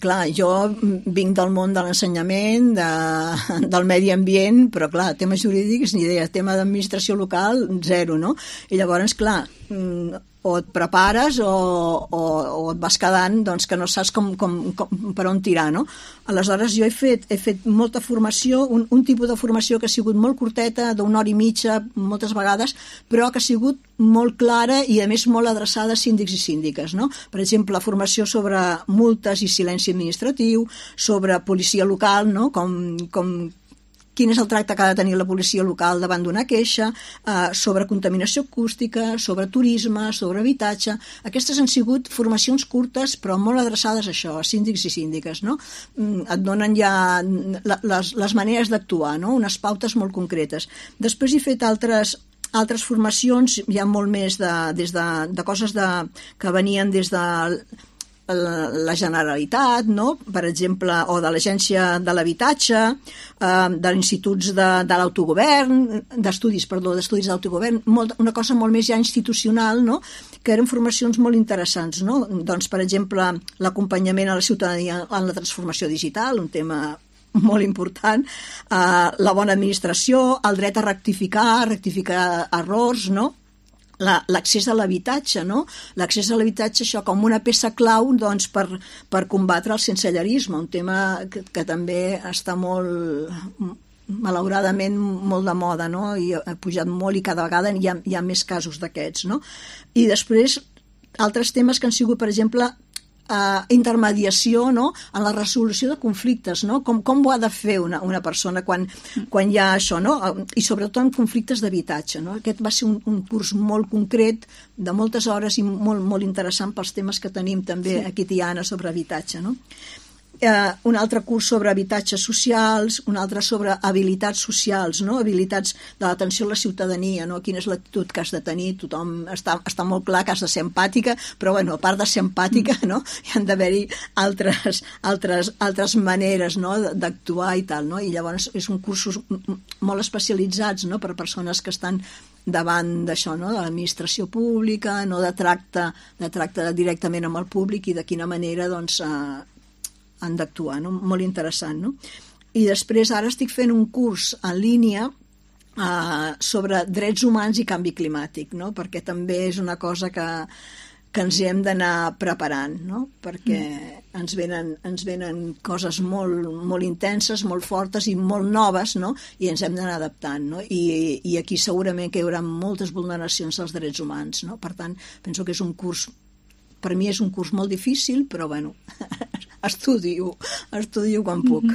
Clar, jo vinc del món de l'ensenyament, del medi ambient, però clar, temes jurídics ni idea, tema d'administració local, zero, no? I llavors, clar, o et prepares o et vas quedant doncs, que no saps per on tirar, no? Aleshores jo he fet molta formació, un tipus de formació que ha sigut molt curteta, d'una hora i mitja moltes vegades, però que ha sigut molt clara i a més molt adreçada a síndics i síndiques, no? Per exemple, formació sobre multes i silenci administratiu, sobre policia local, no? Quin és el tracte que ha de tenir la policia local davant d'una queixa, sobre contaminació acústica, sobre turisme, sobre habitatge. Aquestes han sigut formacions curtes però molt adreçades a això, a síndics i síndiques, no? Et donen ja les maneres d'actuar, no? Unes pautes molt concretes. Després he fet altres formacions, ja molt més de coses que venien des de la Generalitat, no? Per exemple, o de l'Agència de l'Habitatge, de instituts de l'autogovern, d'estudis d'autogovern, una cosa molt més ja institucional, no? Que eren formacions molt interessants, no? Doncs, per exemple, l'acompanyament a la ciutadania en la transformació digital, un tema molt important, la bona administració, el dret a rectificar errors, no? L'accés a l'habitatge, no? L'accés a l'habitatge, això com una peça clau doncs, per combatre el sensellarisme, un tema que també està malauradament molt de moda, no? I ha pujat molt i cada vegada hi ha més casos d'aquests, no? I després altres temes que han sigut, per exemple, intermediació, no? En la resolució de conflictes, no? Com ho ha de fer una persona quan hi ha això, no? I sobretot en conflictes d'habitatge, no? Aquest va ser un curs molt concret, de moltes hores i molt, molt interessant pels temes que tenim també aquí a Tiana sobre habitatge, no? Un altre curs sobre habitatges socials, un altre sobre habilitats socials, no? Habilitats de l'atenció a la ciutadania, no? Quina és l'actitud que has de tenir, tothom està molt clar que has de ser empàtica, però bueno, a part de ser empàtica, no? Hi han d'haver-hi altres maneres, no? D'actuar i tal, no? I llavors són cursos molt especialitzats, no? Per persones que estan davant d'això, no? De l'administració pública, no? de tracte directament amb el públic i de quina manera doncs han d'actuar, no? Molt interessant, no? I després ara estic fent un curs en línia sobre drets humans i canvi climàtic, no? Perquè també és una cosa que ens hem d'anar preparant, no? Perquè ens venen coses molt, molt intenses, molt fortes i molt noves, no? I ens hem d'anar adaptant, no? I aquí segurament que hi haurà moltes vulneracions dels drets humans, no? Per tant, penso que és un curs, per mi és un curs molt difícil, però bueno, estudio quan puc.